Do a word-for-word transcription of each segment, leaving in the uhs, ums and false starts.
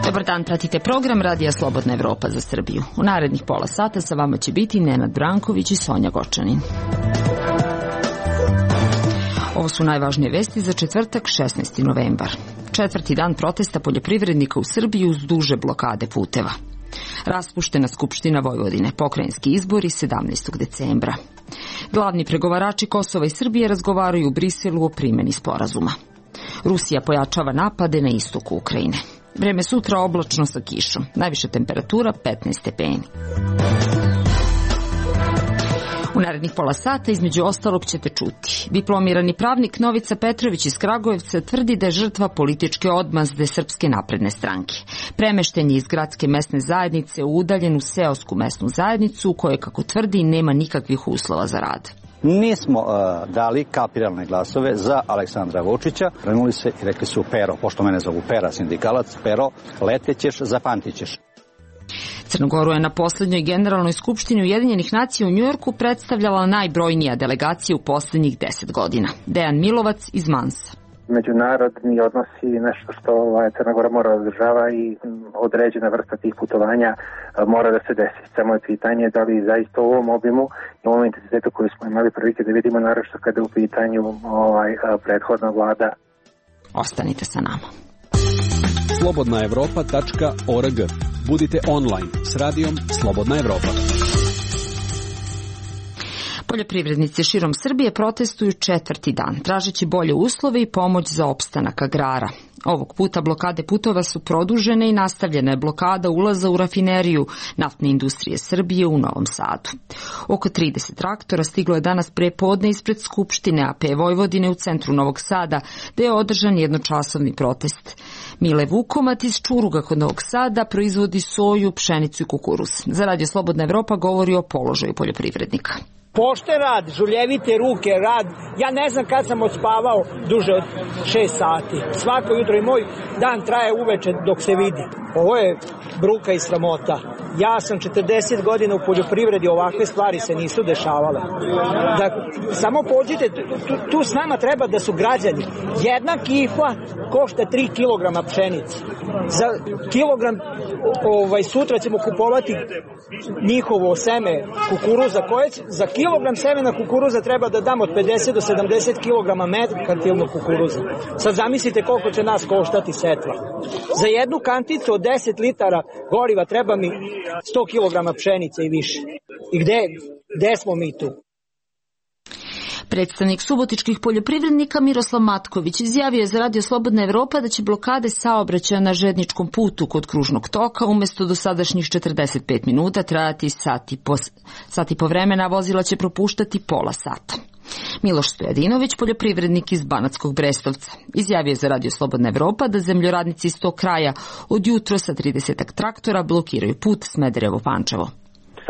Dobar dan, pratite program Radija Slobodna Evropa za Srbiju. U narednih pola sata sa vama će biti Nenad Branković i Sonja Gočanin. Ovo su najvažnije vesti za četvrtak, šesnaesti novembar. Četvrti dan protesta poljoprivrednika u Srbiji uz duže blokade puteva. Raspuštena Skupština Vojvodine, pokrajinski izbori sedamnaestog decembra. Glavni pregovarači Kosova i Srbije razgovaraju u Briselu o primjeni sporazuma. Rusija pojačava napade na istoku Ukrajine. Vreme sutra oblačno sa kišom. Najviša temperatura petnaest stepeni. U narednih pola sata između ostalog ćete čuti. Diplomirani pravnik Novica Petrović iz Kragujevca tvrdi da je žrtva političke odmazde Srpske napredne stranke. Premešten je iz gradske mesne zajednice u udaljenu seosku mesnu zajednicu u kojoj, kako tvrdi, nema nikakvih uslova za rad. Nismo uh, dali kapiralne glasove za Aleksandra Vučića. Krenuli se i rekli su: Pero, pošto mene zovu Pera, sindikalac, Pero, letećeš, zapamtićeš. Crnogoru je na poslednjoj generalnoj skupštini Ujedinjenih nacija u Njujorku predstavljala najbrojnija delegacija u poslednjih deset godina. Dejan Milovac iz Mansa. Međunarodni odnosi nešto što ovaj, Crna Gora mora održava i određena vrsta tih putovanja mora da se desi. Samo je pitanje da li zaista u ovom obimu i u ovom intenzitetu koji smo imali prilike da vidimo, naročito kada je u pitanju ovaj, prethodna vlada. Ostanite sa nama. slobodna evropa tačka org. Budite online s radijom Slobodna Evropa. Poljoprivrednici širom Srbije protestuju četvrti dan, tražeći bolje uslove i pomoć za opstanak agrara. Ovog puta blokade putova su produžene i nastavljena je blokada ulaza u rafineriju Naftne industrije Srbije u Novom Sadu. Oko trideset traktora stiglo je danas pre podne ispred Skupštine A P Vojvodine u centru Novog Sada, gde je održan jednočasovni protest. Mile Vukomat iz Čuruga kod Novog Sada proizvodi soju, pšenicu i kukuruz. Za Radio Slobodna Evropa govori o položaju poljoprivrednika. Pošten rad, žuljevite ruke, rad. Ja ne znam kad sam odspavao duže od šest sati. Svako jutro i moj dan traje uveče dok se vidi. Ovo je bruka i sramota. Ja sam četrdeset godina u poljoprivredi, ovakve stvari se nisu dešavale. Da, samo pođite, tu, tu s nama treba da su građani. Jedna kifla košta tri kilograma pšenice. Za kilogram ovaj, sutra ćemo kupovati njihovo seme kukuruza, koje za kilogram semena kukuruza treba da damo od pedeset do sedamdeset kilograma merkantilnog kukuruza. Sad zamislite koliko će nas koštati setva. Za jednu kanticu od deset litara goriva treba mi sto kilograma pšenice i više. I gde, gde smo mi tu? Predstavnik subotičkih poljoprivrednika Miroslav Matković izjavio je za Radio Slobodna Evropa da će blokade saobraćaja na željezničkom putu kod kružnog toka umesto dosadašnjih četrdeset pet minuta trajati sati po, sati po vremena, vozila će propuštati pola sata. Miloš Stojadinović, poljoprivrednik iz Banatskog Brestovca, izjavio je za Radio Slobodna Evropa da zemljoradnici iz tog kraja od jutro sa trideset traktora blokiraju put Smederevo-Pančevo.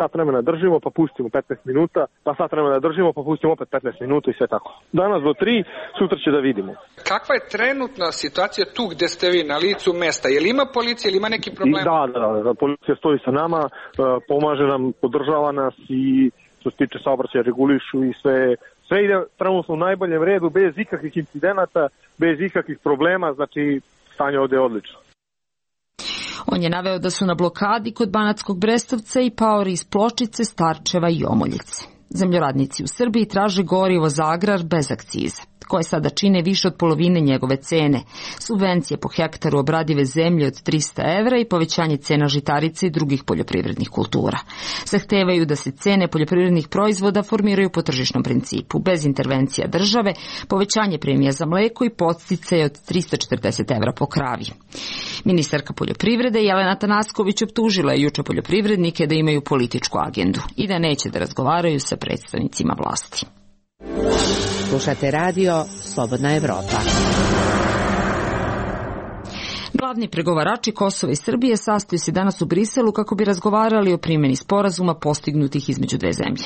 Sat vremena držimo, pa pustimo petnaest minuta, pa sat vremena držimo, pa pustimo opet petnaest minuta i sve tako. Danas do tri, sutra će da vidimo. Kakva je trenutna situacija tu gde ste vi, na licu mesta? Je li ima policija, ili ima neki problem? Da, da, da, policija stoji sa nama, pomaže nam, podržava nas i što se tiče saobraćaja regulišu i sve, sve ide trenutno u najboljem redu, bez ikakvih incidenata, bez ikakvih problema, znači stanje ovde je odlično. On je naveo da su na blokadi kod Banatskog Brestovca i paori iz Pločice, Starčeva i Omoljice. Zemljoradnici u Srbiji traže gorivo za agrar bez akciza, koje sada čine više od polovine njegove cene, subvencije po hektaru obradive zemlje od trista evra i povećanje cena žitarica i drugih poljoprivrednih kultura. Zahtevaju da se cene poljoprivrednih proizvoda formiraju po tržišnom principu, bez intervencija države, povećanje premija za mleko i podsticaje od trista četrdeset evra po kravi. Ministarka poljoprivrede Jelena Tanasković optužila je juče poljoprivrednike da imaju političku agendu i da neće da razgovaraju sa predstavnicima vlasti. Slušate radio Slobodna Evropa. Glavni pregovarači Kosova i Srbije sastaju se danas u Briselu kako bi razgovarali o primjeni sporazuma postignutih između dve zemlje.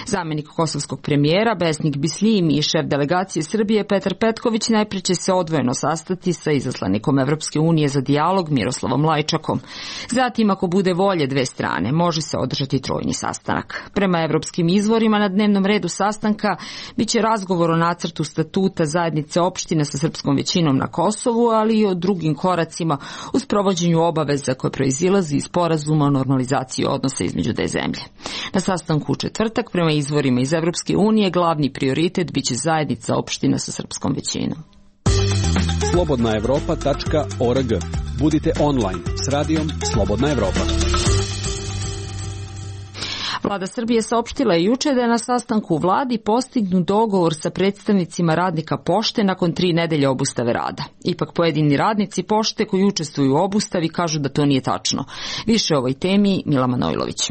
Zamenik kosovskog premijera Besnik Bisljim i šef delegacije Srbije Petar Petković najpre će se odvojeno sastati sa izaslanikom Evropske unije za dijalog Miroslavom Lajčakom. Zatim, ako bude volje dve strane, može se održati trojni sastanak. Prema evropskim izvorima na dnevnom redu sastanka biće razgovor o nacrtu statuta zajednice opština sa srpskom većinom na Kosovu, ali i o drugim koracima u sprovođenju obaveza koje proizilazi iz sporazuma o normalizaciji odnosa između dve zemlje. Na sastanku u četvrtak, prema izvorima iz Evropske unije, glavni prioritet biće zajednica opština sa srpskom većinom. slobodna evropa tačka org. Budite online s radijom Slobodna Evropa. Vlada Srbije saopštila je juče da je na sastanku u vladi postignut dogovor sa predstavnicima radnika pošte nakon tri nedelje obustave rada. Ipak pojedini radnici pošte koji učestvuju u obustavi kažu da to nije tačno. Više o ovoj temi Mila Manojlović.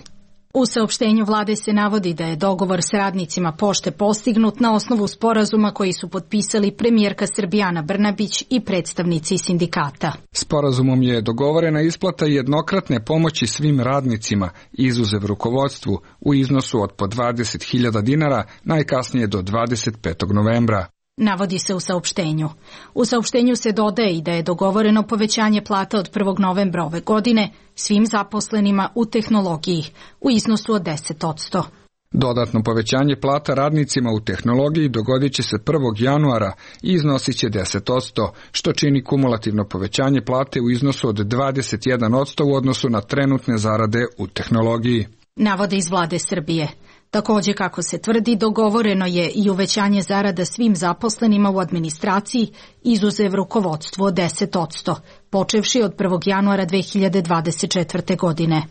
U saopštenju vlade se navodi da je dogovor s radnicima pošte postignut na osnovu sporazuma koji su potpisali premijerka Srbije Ana Brnabić i predstavnici sindikata. Sporazumom je dogovorena isplata jednokratne pomoći svim radnicima, izuzev rukovodstvu, u iznosu od po dvadeset hiljada dinara, najkasnije do dvadeset petog novembra. Navodi se u saopštenju. U saopštenju se dodaje i da je dogovoreno povećanje plata od prvog novembra ove godine svim zaposlenima u tehnologiji u iznosu od deset posto. Dodatno povećanje plata radnicima u tehnologiji dogodit će se prvog januara i iznosit će deset posto, što čini kumulativno povećanje plate u iznosu od dvadeset jedan posto u odnosu na trenutne zarade u tehnologiji. Navode iz vlade Srbije. Takođe, kako se tvrdi, dogovoreno je i uvećanje zarada svim zaposlenima u administraciji, izuzev rukovodstvu od deset posto, počevši od prvog januara dve hiljade dvadeset četvrte. godine.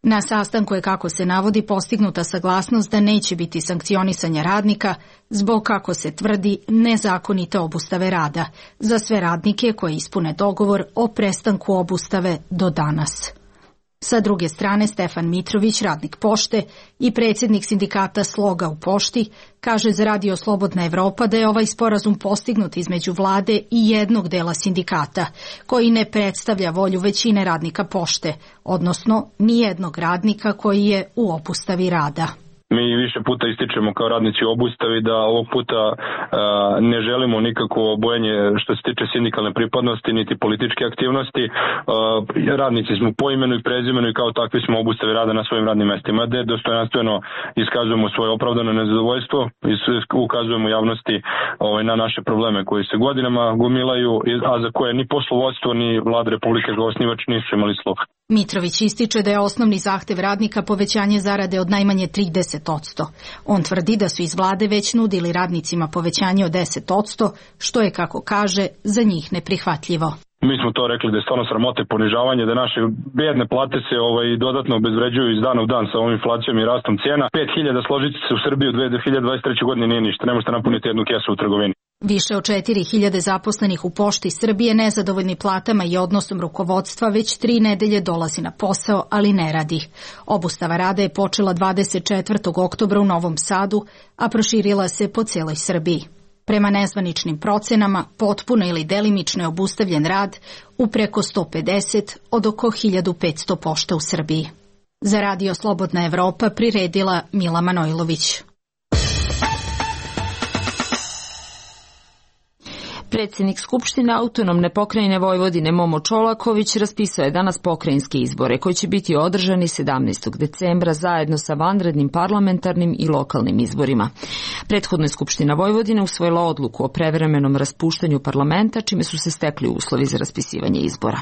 Na sastanku je, kako se navodi, postignuta saglasnost da neće biti sankcionisanja radnika zbog, kako se tvrdi, nezakonite obustave rada za sve radnike koji ispune dogovor o prestanku obustave do danas. Sa druge strane, Stefan Mitrović, radnik pošte i predsjednik sindikata Sloga u pošti, kaže za Radio Slobodna Evropa da je ovaj sporazum postignut između vlade i jednog dela sindikata, koji ne predstavlja volju većine radnika pošte, odnosno nijednog radnika koji je u obustavi rada. Mi više puta ističemo kao radnici u obustavi da ovog puta a, ne želimo nikakvo bojenje što se tiče sindikalne pripadnosti niti političke aktivnosti. A, radnici smo po imenu i prezimenu i kao takvi smo u obustavi rada na svojim radnim mestima, gde dostojanstveno iskazujemo svoje opravdano nezadovoljstvo i ukazujemo javnosti ovaj, na naše probleme koji se godinama gomilaju, a za koje ni poslovodstvo ni vlada Republike kao osnivač nisu imali sluha. Mitrović ističe da je osnovni zahtev radnika povećanje zarade od najmanje trideset posto. On tvrdi da su iz vlade već nudili radnicima povećanje od deset posto, što je, kako kaže, za njih neprihvatljivo. Mi smo to rekli da je stvarno sramota i ponižavanje, da naše bedne plate se ovaj, dodatno obezvređuju iz dana u dan sa ovom inflacijom i rastom cijena. pet hiljada složiti se u Srbiji u dve hiljade dvadeset treće. godine nije ništa, ne možete napuniti jednu kesu u trgovini. Više od četiri hiljade zaposlenih u pošti Srbije nezadovoljni platama i odnosom rukovodstva već tri nedelje dolazi na posao, ali ne radi. Obustava rada je počela dvadeset četvrtog oktobra u Novom Sadu, a proširila se po celoj Srbiji. Prema nezvaničnim procenama, potpuno ili delimično je obustavljen rad u preko sto pedeset od oko hiljadu petsto pošta u Srbiji. Za Radio Slobodna Evropa priredila Mila Manojlović. Predsjednik Skupštine autonomne pokrajine Vojvodine Momo Čolaković raspisao je danas pokrajinske izbore koji će biti održani sedamnaestog decembra zajedno sa vanrednim parlamentarnim i lokalnim izborima. Prethodno je Skupština Vojvodine usvojila odluku o prevremenom raspuštanju parlamenta, čime su se stekli uslovi za raspisivanje izbora.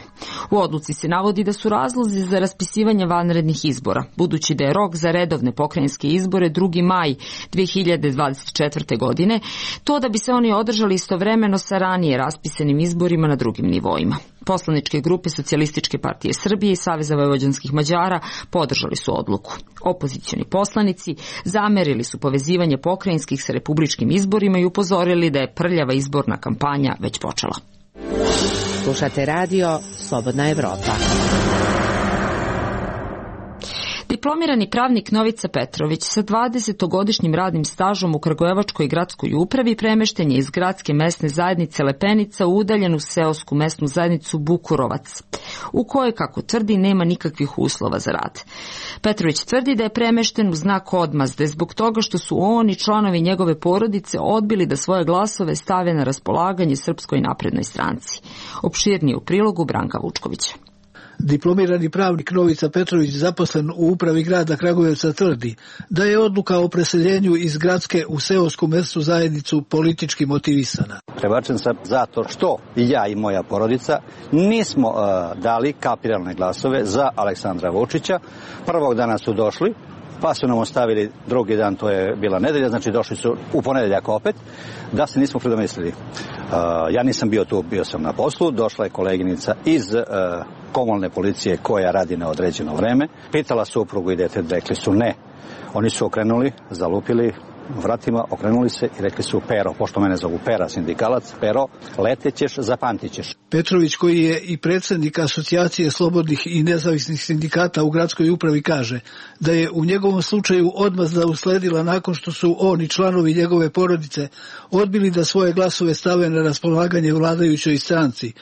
U odluci se navodi da su razlozi za raspisivanje vanrednih izbora, budući da je rok za redovne pokrajinske izbore drugi maj dve hiljade dvadeset četvrte. godine, to da bi se oni održali istovremeno sa ranije raspisanim izborima na drugim nivoima. Poslaničke grupe Socijalističke partije Srbije i Saveza vojvođanskih Mađara podržali su odluku. Opozicioni poslanici zamerili su povezivanje pokrajinskih sa republičkim izborima i upozorili da je prljava izborna kampanja već počela. Slušate radio Slobodna Evropa. Diplomirani pravnik Novica Petrović sa dvadesetogodišnjim radnim stažom u Kragujevačkoj gradskoj upravi premešten je iz gradske mesne zajednice Lepenica u udaljenu seosku mesnu zajednicu Bukurovac, u kojoj, kako tvrdi, nema nikakvih uslova za rad. Petrović tvrdi da je premešten u znak odmazde zbog toga što su on i članovi njegove porodice odbili da svoje glasove stave na raspolaganje Srpskoj naprednoj stranci. Opširnije u prilogu Branka Vučkovića. Diplomirani pravnik Novica Petrović, zaposlen u upravi grada Kragujevca, tvrdi da je odluka o preseljenju iz gradske u seosku mesnu zajednicu politički motivisana. Prebačen sam zato što i ja i moja porodica nismo uh, dali kapiralne glasove za Aleksandra Vučića. Prvog dana su došli, pa su nam ostavili drugi dan, to je bila nedelja, znači došli su u ponedeljak opet, da se nismo predomislili. Uh, ja nisam bio tu, bio sam na poslu, došla je koleginica iz uh, komunalne policije koja radi na određeno vreme, pitala suprugu i dete, rekli su ne. Oni su okrenuli, zalupili vratima, okrenuli se i rekli su Pero, pošto mene zovu Pera, sindikalac, Pero, letećeš, zapantićeš. Petrović, koji je i predsjednik Asocijacije slobodnih i nezavisnih sindikata u gradskoj upravi, kaže da je u njegovom slučaju odmazda usledila nakon što su on i članovi njegove porodice odbili da svoje glasove stave na raspolaganje vladajućoj stranci.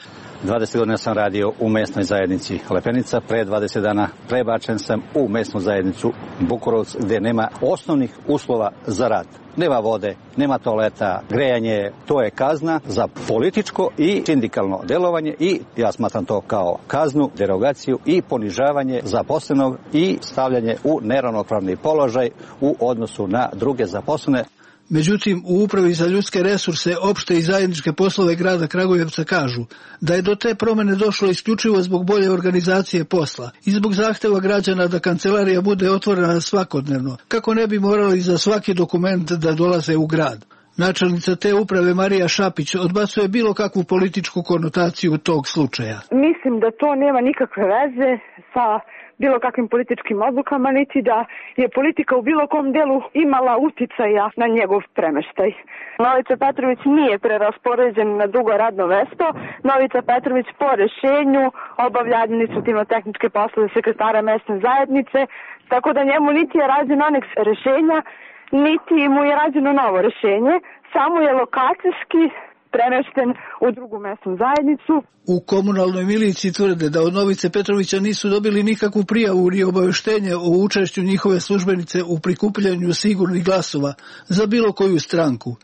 dvadeset godina sam radio u mesnoj zajednici Lepenica, pre dvadeset dana prebačen sam u mesnu zajednicu Bukurovac, gde nema osnovnih uslova za rad. Nema vode, nema toaleta, grejanje, to je kazna za političko i sindikalno delovanje i ja smatram to kao kaznu, derogaciju i ponižavanje zaposlenog i stavljanje u neravnopravni položaj u odnosu na druge zaposlene. Međutim, u Upravi za ljudske resurse, opšte i zajedničke poslove grada Kragujevca kažu da je do te promene došlo isključivo zbog bolje organizacije posla i zbog zahteva građana da kancelarija bude otvorena svakodnevno, kako ne bi morali za svaki dokument da dolaze u grad. Načelnica te uprave Marija Šapić odbacuje bilo kakvu političku konotaciju tog slučaja. Mislim da to nema nikakve veze sa bilo kakvim političkim odlukama, niti da je politika u bilo kom delu imala uticaja na njegov premeštaj. Novica Petrović nije preraspoređen na drugo radno mesto. Novica Petrović po rešenju obavlja administrativno-tehničke poslove sekretara mesne zajednice, tako da njemu niti je rađen aneks rešenja, niti mu je rađeno novo rešenje, samo je lokacijski premešten u drugu mesnu zajednicu. U komunalnoj miliciji tvrde da od Novice Petrovića nisu dobili nikakvu prijavu ni obaveštenje o učešću njihove službenice u prikupljanju sigurnih glasova za bilo koju stranku.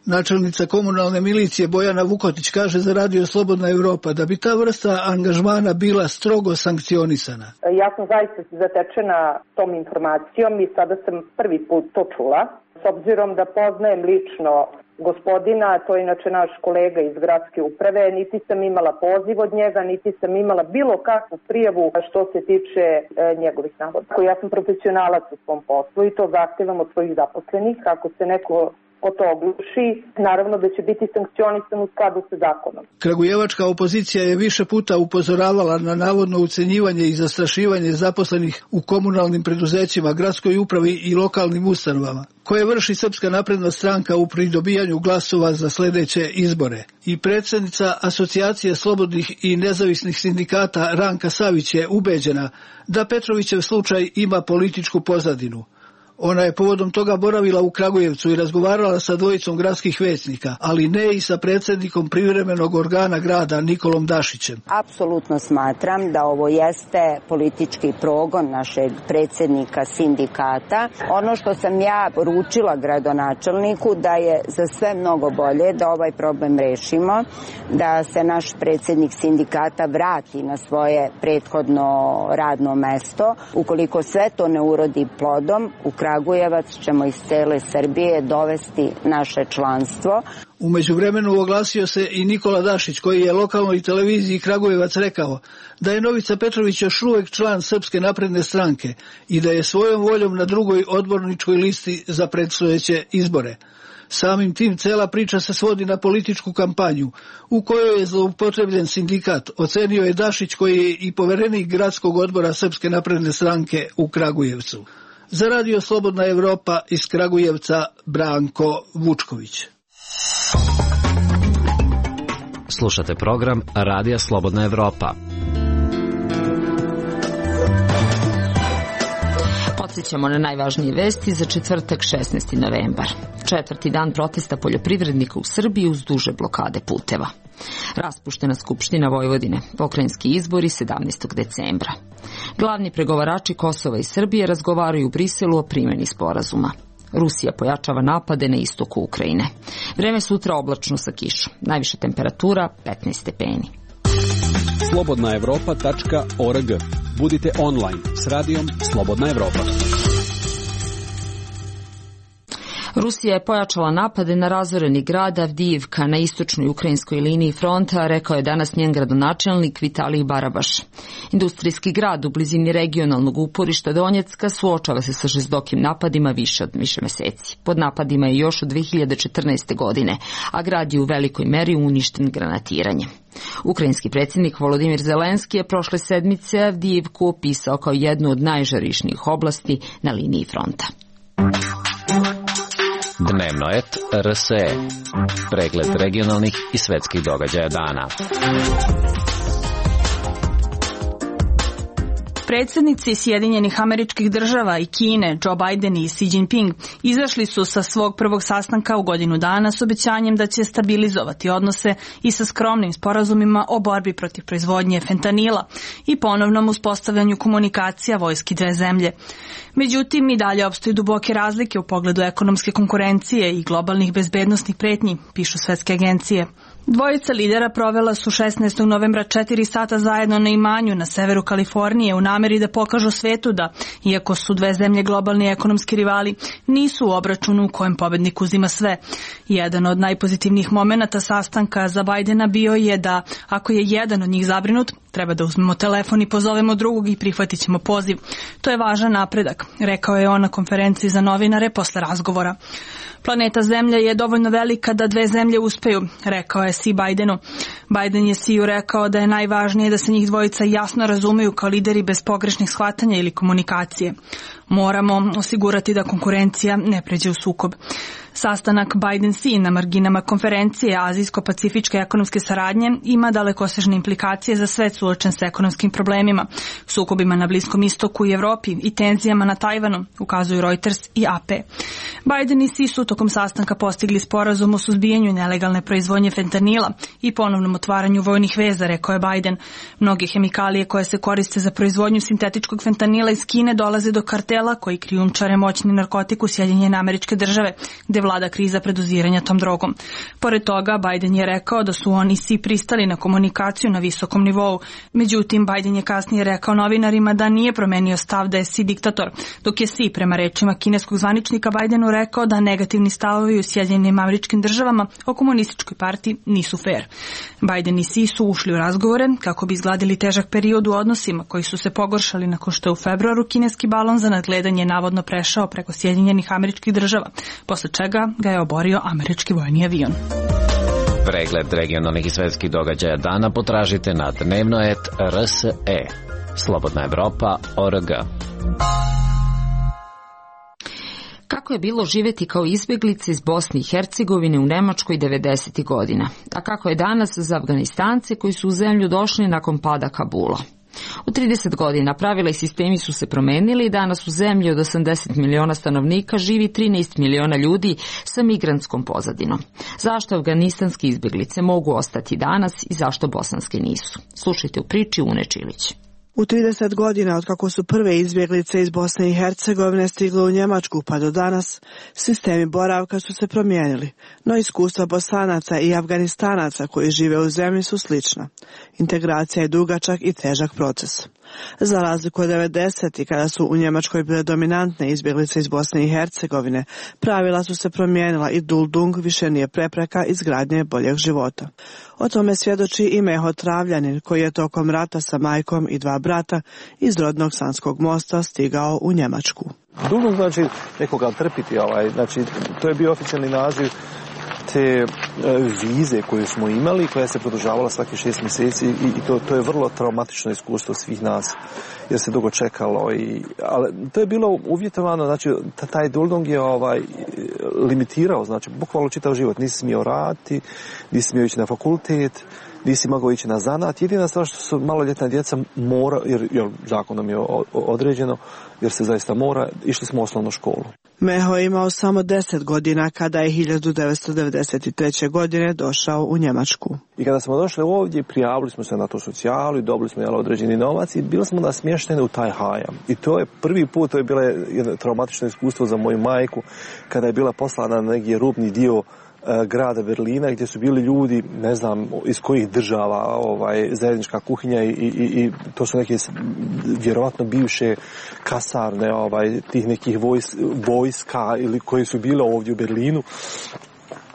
Načelnica komunalne milicije Bojana Vukotić kaže za Radio Slobodna Evropa da bi ta vrsta angažmana bila strogo sankcionisana. Ja sam zaista zatečena tom informacijom i sada sam prvi put to čula. S obzirom da poznajem lično gospodina, to je inače naš kolega iz gradske uprave, niti sam imala poziv od njega, niti sam imala bilo kakvu prijavu što se tiče e, njegovih navoda. Ja sam profesionalac u svom poslu i to zahtevam od svojih zaposlenih. Ako se neko ko to ogluši, naravno da će biti sankcionisan u skladu sa zakonom. Kragujevačka opozicija je više puta upozoravala na navodno ucenjivanje i zastrašivanje zaposlenih u komunalnim preduzećima, gradskoj upravi i lokalnim ustanovama, koje vrši Srpska napredna stranka u pridobijanju glasova za sledeće izbore. I predsjednica Asocijacije slobodnih i nezavisnih sindikata Ranka Savić je ubeđena da Petrovićev slučaj ima političku pozadinu. Ona je povodom toga boravila u Kragujevcu i razgovarala sa dvojicom gradskih većnika, ali ne i sa predsjednikom privremenog organa grada Nikolom Dašićem. Apsolutno smatram da ovo jeste politički progon našeg predsjednika sindikata. Ono što sam ja poručila gradonačelniku da je za sve mnogo bolje da ovaj problem rešimo, da se naš predsjednik sindikata vrati na svoje prethodno radno mesto. Ukoliko sve to ne urodi plodom, u Kragujevac ćemo iz cele Srbije dovesti naše članstvo. U međuvremenu oglasio se i Nikola Dašić, koji je lokalnoj televiziji Kragujevac rekao da je Novica Petrović još uvek član Srpske napredne stranke i da je svojom voljom na drugoj odborničkoj listi za predstojeće izbore. Samim tim cela priča se svodi na političku kampanju u kojoj je zloupotrebljen sindikat, ocenio je Dašić, koji je i poverenik gradskog odbora Srpske napredne stranke u Kragujevcu. Za Radio Slobodna Evropa iz Kragujevca Branko Vučković. Slušate program Radija Slobodna Evropa. Podsjećamo na najvažnije vesti za četvrtak šesnaesti novembar. Četvrti dan protesta poljoprivrednika u Srbiji uz duže blokade puteva. Raspuštena Skupština Vojvodine, pokrajinski izbori sedamnaestog decembra. Glavni pregovarači Kosova i Srbije razgovaraju u Briselu o primjeni sporazuma. Rusija pojačava napade na istoku Ukrajine. Vreme sutra oblačno sa kišom. Najviša temperatura petnaest stepeni. slobodna evropa tačka org. Budite online s radijom Slobodna Evropa. Rusija je pojačala napade na razoreni grad Avdijivka na istočnoj ukrajinskoj liniji fronta, rekao je danas njen gradonačelnik Vitalij Barabaš. Industrijski grad u blizini regionalnog uporišta Donjecka suočava se sa žestokim napadima više od više meseci. Pod napadima je još od dve hiljade četrnaeste. godine, a grad je u velikoj meri uništen granatiranjem. Ukrajinski predsjednik Volodimir Zelenski je prošle sedmice Avdijivku opisao kao jednu od najžarišnijih oblasti na liniji fronta. Dnevnoet R S E. Pregled regionalnih i svetskih događaja dana. Predsjednici Sjedinjenih Američkih Država i Kine, Joe Biden i Xi Jinping, izašli su sa svog prvog sastanka u godinu dana s obećanjem da će stabilizovati odnose i sa skromnim sporazumima o borbi protiv proizvodnje fentanila i ponovnom uspostavljanju komunikacija vojski dve zemlje. Međutim, i dalje opstoje duboke razlike u pogledu ekonomske konkurencije i globalnih bezbednosnih pretnji, pišu svetske agencije. Dvojica lidera provela su šesnaestog novembra četiri sata zajedno na imanju na severu Kalifornije u nameri da pokažu svetu da, iako su dve zemlje globalni ekonomski rivali, nisu u obračunu u kojem pobednik uzima sve. Jedan od najpozitivnijih momenata sastanka za Bajdena bio je da, ako je jedan od njih zabrinut, treba da uzmemo telefon i pozovemo drugog i prihvatit ćemo poziv. To je važan napredak, rekao je on na konferenciji za novinare posle razgovora. Planeta Zemlja je dovoljno velika da dve zemlje uspeju, rekao je Xi Bajdenu. Bajden je Xiju rekao da je najvažnije da se njih dvojica jasno razumeju kao lideri bez pogrešnih shvatanja ili komunikacije. Moramo osigurati da konkurencija ne pređe u sukob. Sastanak Biden-Xi na marginama konferencije Azijsko-pacifičke ekonomske saradnje ima dalekosežne implikacije za svet suočen sa ekonomskim problemima, sukobima na Bliskom istoku i Evropi i tenzijama na Tajvanu, ukazuju Reuters i A P. Biden i Xi su tokom sastanka postigli sporazum o suzbijanju nelegalne proizvodnje fentanila i ponovnom otvaranju vojnih veza, rekao je Biden. Mnoge hemikalije koje se koriste za proizvodnju sintetičkog fentanila iz Kine dolaze do kartela koji krijumčare moćni narkotik u Sjedinjene Američke Države, gde vlada kriza predoziranja tom drogom. Pored toga, Biden je rekao da su on i Xi pristali na komunikaciju na visokom nivou. Međutim, Biden je kasnije rekao novinarima da nije promenio stav da je Xi diktator, dok je Xi, prema rečima kineskog zvaničnika Bidenu, rekao da negativni stavovi u Sjedinjenim Američkim Državama o komunističkoj partiji nisu fair. Biden i Xi su ušli u razgovore kako bi izgladili težak period u odnosima koji su se pogoršali nakon što je u februaru kineski balon za nadgledanje navodno prešao preko Sjedinjenih Američkih Država, posle čega ga je oborio američki vojni avion. Pregled regionalnih i svetskih događaja dana potražite na dnevnoet R S E. Slobodna Evropa org. Kako je bilo živjeti kao izbjeglice iz Bosne i Hercegovine u Nemačkoj devedesetih godina, a kako je danas za Afganistance koji su u zemlju došli nakon pada Kabula. U trideset godina pravila i sistemi su se promenili i danas u zemlji od osamdeset miliona stanovnika živi trinaest miliona ljudi sa migrantskom pozadinom. Zašto afganistanske izbjeglice mogu ostati danas i zašto bosanske nisu? Slušajte u priči Une Čilić. U trideset godina od kako su prve izbjeglice iz Bosne i Hercegovine stigle u Njemačku pa do danas, sistemi boravka su se promijenili, no iskustva Bosanaca i Afganistanaca koji žive u zemlji su slična. Integracija je dugačak i težak proces. Za razliku od devedesetih kada su u Njemačkoj bile dominantne izbjeglice iz Bosne i Hercegovine, pravila su se promijenila i Duldung više nije prepreka izgradnje boljeg života. O tome svjedoči i Meho Travljanin koji je tokom rata sa majkom i dva brata iz rodnog Sanskog mosta stigao u Njemačku. Duldung znači nekoga trpiti, ovaj, znači to je bio oficijalni naziv te vize koju smo imali, koja se produžavala svaki šest mjeseci i, i to, to je vrlo traumatično iskustvo svih nas, jer se dugo čekalo. I, ali to je bilo uvjetovano, znači taj Duldung je ovaj, limitirao, znači bukvalno čitav život. Nisi smio raditi, nisi smio ići na fakultet, nisi mogao ići na zanat. Jedina stvar što su maloljetna djeca mora, jer, jer zakonom je određeno, jer se zaista mora, išli smo u osnovnu školu. Meho je imao samo deset godina kada je hiljadu devetsto devedeset treće. godine došao u Njemačku. I kada smo došli ovdje, prijavili smo se na tu socijalu i dobili smo jel, određeni novac i bili smo nasmješteni u taj hajam. I to je prvi put, to je bilo jedno traumatično iskustvo za moju majku, kada je bila poslana na neki rubni dio grada Berlina gdje su bili ljudi, ne znam iz kojih država, ovaj, zajednička kuhinja i, i, i to su neke vjerovatno bivše kasarne ovaj, tih nekih vojs, vojska ili koji su bile ovdje u Berlinu.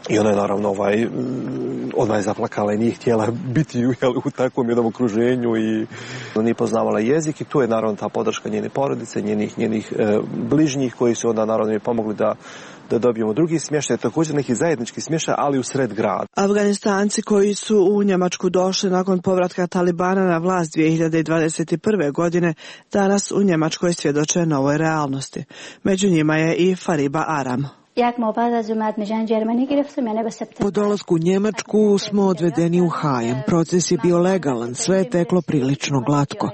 I ona je naravno ovaj, odmah je zaplakala i nije htjela biti jel, u takvom jednom okruženju i nije poznavala jezik i tu je naravno ta podrška njene porodice, njenih, njenih e, bližnjih koji su onda naravno mi pomogli da da dobijemo drugi smještaj, također neki zajednički smještaj, ali u sred grada. Afganistanci koji su u Njemačku došli nakon povratka Talibana na vlast dvije hiljade dvadeset prve. godine, danas u Njemačkoj svjedoče novoj realnosti. Među njima je i Fariba Aram. Po dolasku u Njemačku smo odvedeni u hajam. Proces je bio legalan, sve je teklo prilično glatko.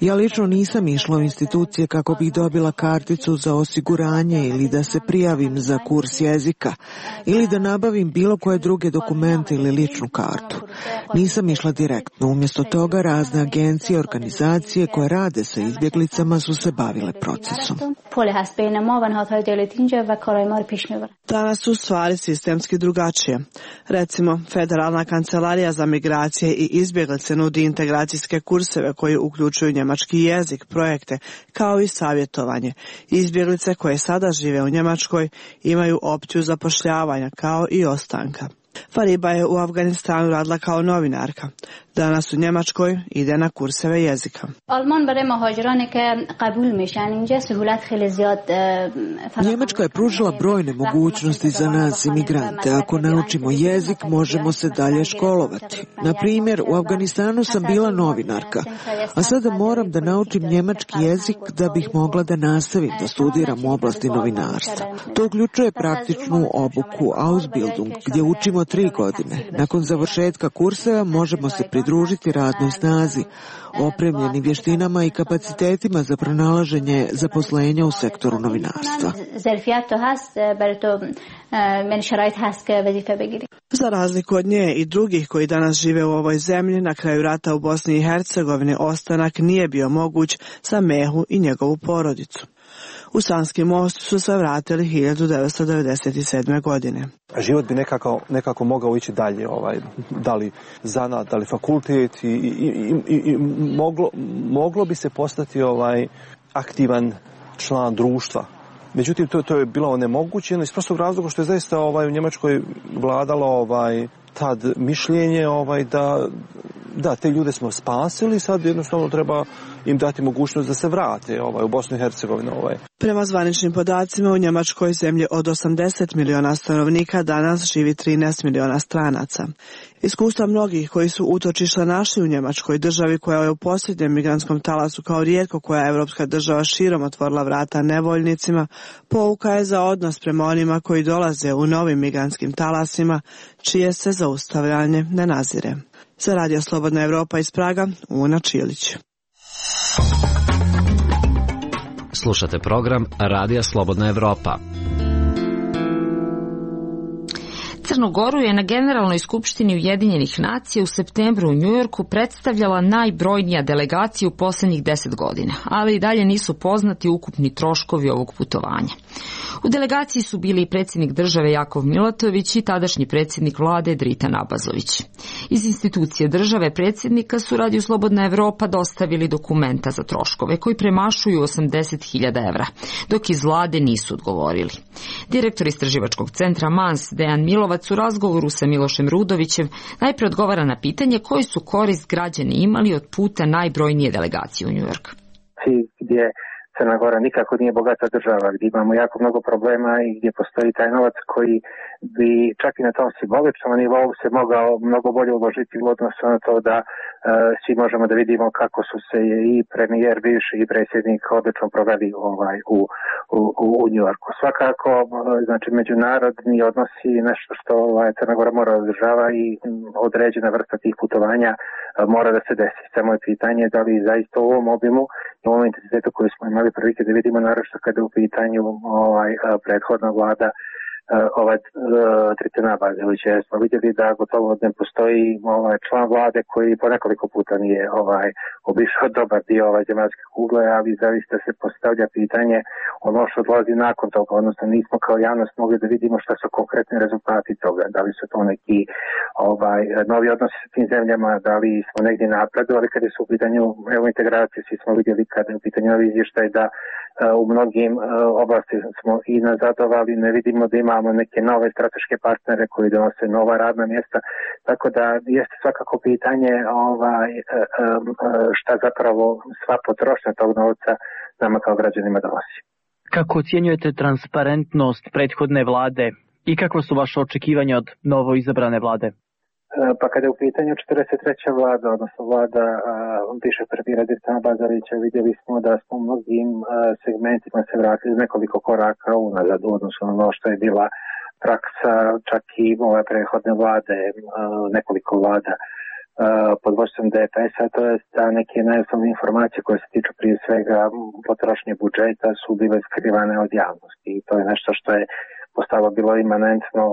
Ja lično nisam išla u institucije kako bih dobila karticu za osiguranje ili da se prijavim za kurs jezika ili da nabavim bilo koje druge dokumente ili ličnu kartu. Nisam išla direktno. Umjesto toga razne agencije i organizacije koje rade sa izbjeglicama su se bavile procesom. Danas su stvari sistemski drugačije. Recimo, Federalna kancelarija za migracije i izbjeglice nudi integracijske kurseve koji uključuju njemački jezik, projekte, kao i savjetovanje. Izbjeglice koje sada žive u Njemačkoj imaju opciju zapošljavanja kao i ostanka. Fariba je u Afganistanu radila kao novinarka. Danas u Njemačkoj ide na kurseve jezika. Njemačka je pružila brojne mogućnosti za nas imigrante. Ako naučimo jezik, možemo se dalje školovati. Na primjer, u Afganistanu sam bila novinarka, a sada moram da naučim njemački jezik da bih mogla da nastavim da studiram u oblasti novinarstva. To uključuje praktičnu obuku Ausbildung, gdje učimo tri godine. Nakon završetka kurseva možemo se pridružiti radnoj snazi, opremljeni vještinama i kapacitetima za pronalaženje zaposlenja u sektoru novinarstva. Za razliku od nje i drugih koji danas žive u ovoj zemlji, na kraju rata u Bosni i Hercegovini ostanak nije bio moguć za Mehu i njegovu porodicu. U Sanski most su se vratili hiljadu devetsto devedeset sedme. godine. Život bi nekako, nekako mogao ići dalje, ovaj, da li zanat, da li fakultet i, i, i, i moglo, moglo bi se postati ovaj, aktivan član društva. Međutim, to, to je bilo onemogućeno iz prostog razloga što je zaista ovaj, u Njemačkoj vladalo ovaj, tad mišljenje ovaj, da da, te ljude smo spasili, sad jednostavno treba im dati mogućnost da se vrate ovaj, u Bosnu i Hercegovinu. Ovaj. Prema zvaničnim podacima u Njemačkoj zemlji od osamdeset miliona stanovnika danas živi trinaest miliona stranaca. Iskustva mnogih koji su utočišta našli u Njemačkoj, državi koja je u posljednjem migrantskom talasu kao rijetko koja evropska država širom otvorila vrata nevoljnicima, pouka je za odnos prema onima koji dolaze u novim migrantskim talasima, čije se zaustavljanje ne nazire. Za Radio Slobodna Evropa iz Praga, Una Čilić. Slušate program Radija Slobodna Evropa. Crnu Goru je na Generalnoj skupštini Ujedinjenih nacija u septembru u Njujorku predstavljala najbrojnija delegacija u posljednjih deset godina, ali i dalje nisu poznati ukupni troškovi ovog putovanja. U delegaciji su bili i predsjednik države Jakov Milatović i tadašnji predsjednik vlade Dritan Abazović. Iz institucije države predsjednika su Radio Slobodna Evropa dostavili dokumenta za troškove koji premašuju osamdeset hiljada evra, dok iz vlade nisu odgovorili. Direktor istraživačkog centra Mans Dejan Milovac u razgovoru sa Milošem Rudovićem najprije odgovara na pitanje koji su korist građani imali od puta najbrojnije delegacije u Njujork. Gdje Crna Gora nikako nije bogata država, gdje imamo jako mnogo problema i gdje postoji taj novac koji bi čak i na tom simboličnom nivou se mogao mnogo bolje uložiti u odnosu na to da uh, svi možemo da vidimo kako su se i premijer, bivši i predsjednik odlično proveli ovaj, u, u, u Njujorku. Svakako, znači, međunarodni odnosi nešto što ovaj, Crna Gora mora održava i određena vrsta tih putovanja uh, mora da se desi. Samo je pitanje da li zaista u ovom obimu i u ovom intenzitetu koji smo imali prilike da vidimo, naravno kada je u pitanju ovaj, prethodna vlada ovaj Tritana Bazilovića, jer smo vidjeli da gotovo ne postoji ovaj član vlade koji po nekoliko puta nije ovaj obišao dobar dio ovaj zemaljske kugle, ali zaista se postavlja pitanje ono što dolazi nakon toga, odnosno nismo kao javnost mogli da vidimo šta su konkretni rezultati toga, da li su to neki ovaj novi odnosi sa tim zemljama, da li smo negdje napredovali kada su u pitanju evo integracije, svi smo vidjeli kada je u pitanju ovaj izvještaj da u mnogim oblasti smo i nazadovali, ne vidimo da imamo neke nove strateške partnere koji donose nova radna mjesta, tako da jeste svakako pitanje ovaj, šta zapravo sva potrošnja tog novca nama kao građanima donosi. Kako ocjenjujete transparentnost prethodne vlade i kakva su vaše očekivanja od novo izabrane vlade? Pa kada je u pitanju četrdeset treća vlada, odnosno vlada bivšeg premijera Tritana Bazilovića, vidjeli smo da smo u mnogim segmentima se vratili nekoliko koraka unazad u odnosu na ono što je bila praksa čak i ove prethodne vlade, nekoliko vlada pod vodstvom D P S-a, to je da neke najosnovne informacije koje se tiču prije svega potrošnje budžeta su bile skrivane od javnosti i to je nešto što je postalo bilo imanentno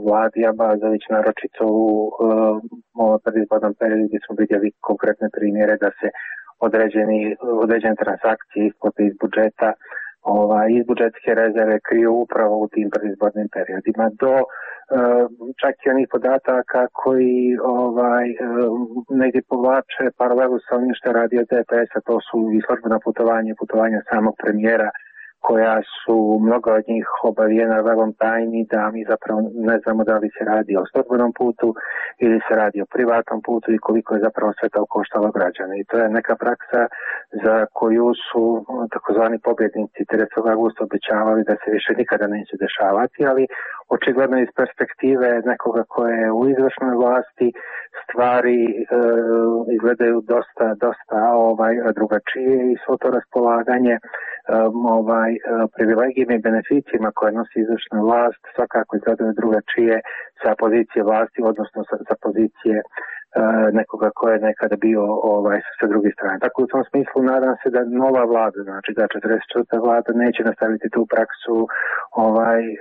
vladi, a Bazović naročito u ovom predizbornom periodu gdje smo vidjeli konkretne primjere da se određeni, određene transakcije isplate iz budžeta, ovaj, iz budžetske rezerve kriju upravo u tim predizbornim periodima do čak i onih podataka koji ovaj, negdje povlače paralelu sa onim što radi od D P S-a, to su i službena putovanja, putovanja samog premijera, koja su mnoga od njih obavijena velom tajni, da mi zapravo ne znamo da li se radi o službenom putu ili se radi o privatnom putu i koliko je zapravo sve to koštalo građane. I to je neka praksa za koju su takozvani pobjednici tridesetog avgusta obećavali da se više nikada neće dešavati, ali očigledno iz perspektive nekoga koje je u izvršnoj vlasti stvari e, izgledaju dosta, dosta ovaj, drugačije i svo to raspolaganje um, ovaj, privilegijima i beneficijima koje nosi izvršna vlast svakako izgledaju drugačije sa pozicije vlasti, odnosno sa, sa pozicije uh, nekoga ko je nekada bio ovaj, sa druge strane. Tako u tom smislu nadam se da nova vlada, znači da četrdeset četvrta vlada neće nastaviti tu praksu ovaj, uh,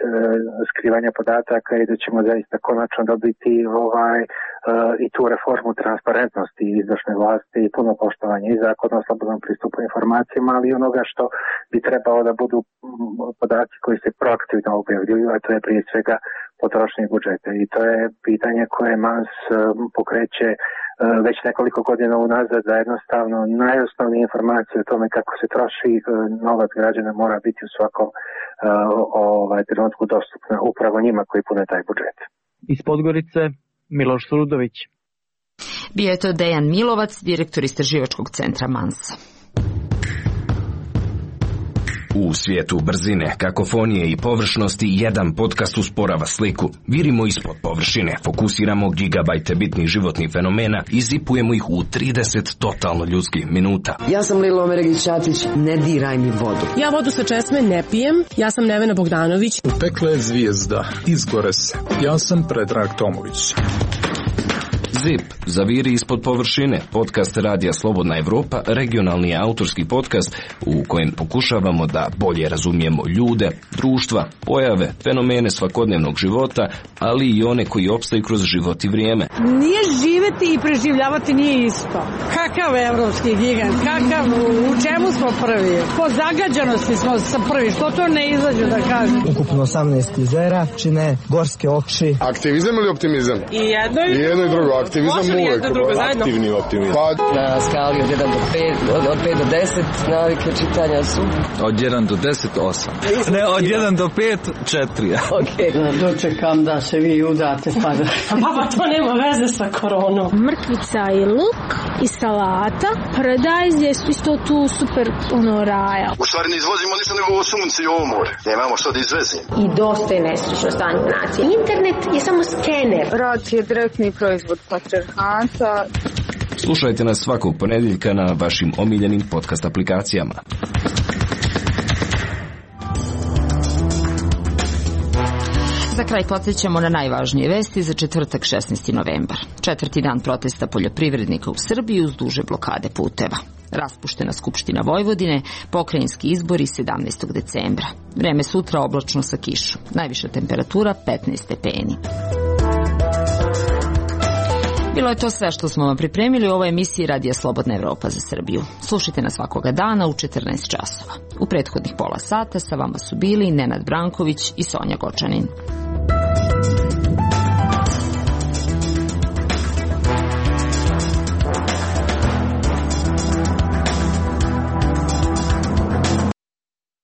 skrivanja podataka i da ćemo zaista konačno dobiti ovaj, uh, i tu reformu transparentnosti izvršne vlasti i puno poštovanje i zakona o slobodnom pristupu informacijama, ali i onoga što bi trebalo da budu podaci koji se proaktivno objavljuju, a to je prije svega potrošnje budžeta. I to je pitanje koje Mans pokreće već nekoliko godina unazad, da jednostavno najosnovnije informacije o tome kako se troši novac građana mora biti u svakom ovaj, trenutku dostupna upravo njima koji pune taj budžet. Iz Podgorice, Miloš Surudović. Bio je to Dejan Milovac, direktor istraživačkog centra Mans. U svijetu brzine, kakofonije i površnosti jedan podcast usporava sliku. Virimo ispod površine, fokusiramo gigabajte bitnih životnih fenomena i zipujemo ih u trideset totalno ljudskih minuta. Ja sam Lilo Omeregić-Ćatić, ne diraj mi vodu. Ja vodu sa česme ne pijem, ja sam Nevena Bogdanović. Pekla je zvijezda, izgore se. Ja sam Predrag Tomović. Zip, zaviri ispod površine, podcast Radija Slobodna Evropa, regionalni autorski podcast u kojem pokušavamo da bolje razumijemo ljude, društva, pojave, fenomene svakodnevnog života, ali i one koji opstaju kroz život i vrijeme. Nije živeti i preživljavati nije isto. Kakav evropski gigant, kakav, u čemu smo prvi? Po zagađanosti smo sa prvi, što to ne izađu da kažem. Ukupno osamnaest jezera, čine gorske oči. Aktivizam ili optimizam? I jedno i, I jedno i drugo. Aktivizam uvek, aktivni optimizam. Pa, na skali od jedan do pet, od, od pet do deset navike čitanja su? Od jedan do deset, osam. Ne, od jedan do pet, četiri. Ok, dočekam da se vi udate pa da... Pa to nema veze sa koronom. Mrkvica i luk i salata. Paradajz je isto tu super ono raja. U stvari ne izvozimo ništa nego ovo sunce i ovo more. Nemamo što da izvezimo. I dosta je nesrećno stanje nacije. Internet je samo skener. Rad je direktni proizvod patrijarhata. Slušajte nas svakog ponedjeljka na vašim omiljenim podcast aplikacijama. Za kraj podsjećamo na najvažnije vesti za četvrtak šesnaesti novembar. Četvrti dan protesta poljoprivrednika u Srbiji uz duže blokade puteva. Raspuštena Skupština Vojvodine, pokrajinski izbori sedamnaestog decembra. Vreme sutra oblačno sa kišom. Najviša temperatura petnaest stepeni. Bilo je to sve što smo vam pripremili u ovoj emisiji Radija Slobodna Evropa za Srbiju. Slušajte nas svakoga dana u četrnaest časova. U prethodnih pola sata sa vama su bili Nenad Branković i Sonja Gočanin.